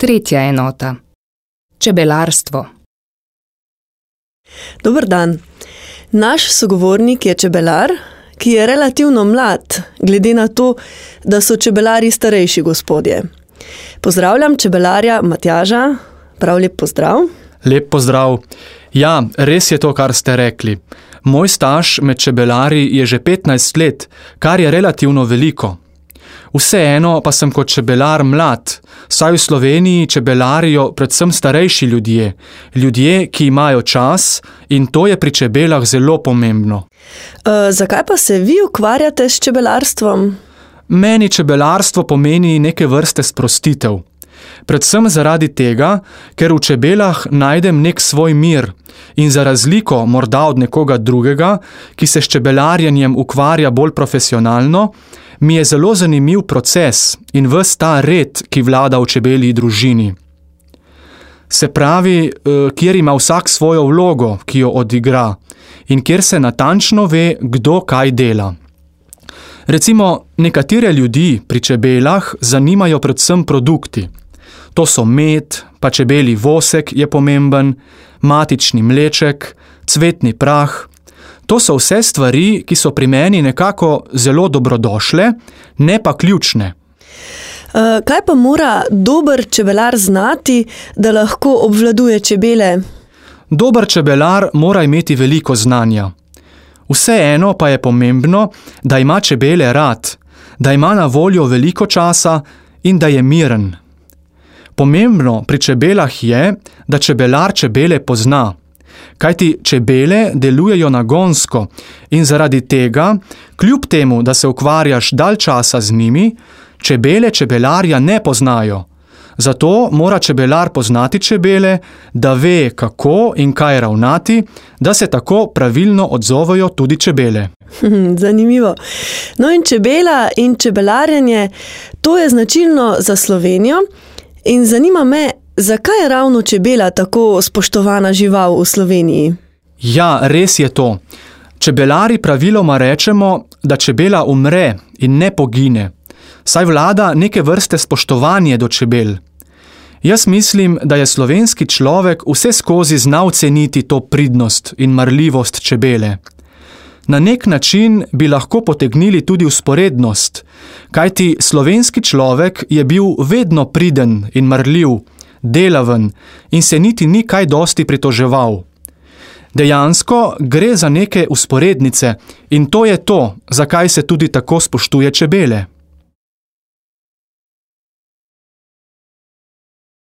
Tretja enota. Čebelarstvo. Dober dan. Naš sogovornik je čebelar, ki je relativno mlad, glede na to, da so čebelari starejši gospodje. Pozdravljam čebelarja Matjaža. Prav lep pozdrav. Lep pozdrav. Ja, res je to, kar ste rekli. Moj staž med čebelari je že 15 let, kar je relativno veliko. Vseeno pa sem kot čebelar mlad, saj v Sloveniji čebelarijo predvsem starejši ljudje, ljudje, ki imajo čas, in to je pri čebelah zelo pomembno. Zakaj pa se vi ukvarjate s čebelarstvom? Meni čebelarstvo pomeni neke vrste sprostitev. Predvsem zaradi tega, ker v čebelah najdem nek svoj mir in za razliko morda od nekoga drugega, ki se s čebelarjenjem ukvarja bolj profesionalno, mi je zelo zanimiv proces in ves ta red, ki vlada v čebelji družini. Se pravi, kjer ima vsak svojo vlogo, ki jo odigra, in kjer se natančno ve, kdo kaj dela. Recimo, nekatere ljudi pri čebelah zanimajo predvsem produkti. To so med, pa čebelji vosek je pomemben, matični mleček, cvetni prah. To so vse stvari, ki so pri meni nekako zelo dobrodošle, ne pa ključne. Kaj pa mora dober čebelar znati, da lahko obvladuje čebele? Dober čebelar mora imeti veliko znanja. Vseeno pa je pomembno, da ima čebele rad, da ima na voljo veliko časa in da je miren. Pomembno pri čebelah je, da čebelar čebele pozna. Kajti čebele delujejo nagonsko in zaradi tega, kljub temu, da se ukvarjaš dalj časa z njimi, čebele čebelarja ne poznajo. Zato mora čebelar poznati čebele, da ve, kako in kaj ravnati, da se tako pravilno odzovejo tudi čebele. Zanimivo. No in čebela in čebelarjenje, to je značilno za Slovenijo in zanima me, zakaj je ravno čebela tako spoštovana žival v Sloveniji? Ja, res je to. Čebelari praviloma rečemo, da čebela umre in ne pogine, saj vlada neke vrste spoštovanje do čebel. Jaz mislim, da je slovenski človek vseskozi znal ceniti to pridnost in marljivost čebele. Na nek način bi lahko potegnili tudi vzporednost, kajti slovenski človek je bil vedno priden in marljiv, delaven in se niti ni kaj dosti pritoževal. Dejansko gre za neke vzporednice in to je to, zakaj se tudi tako spoštuje čebele.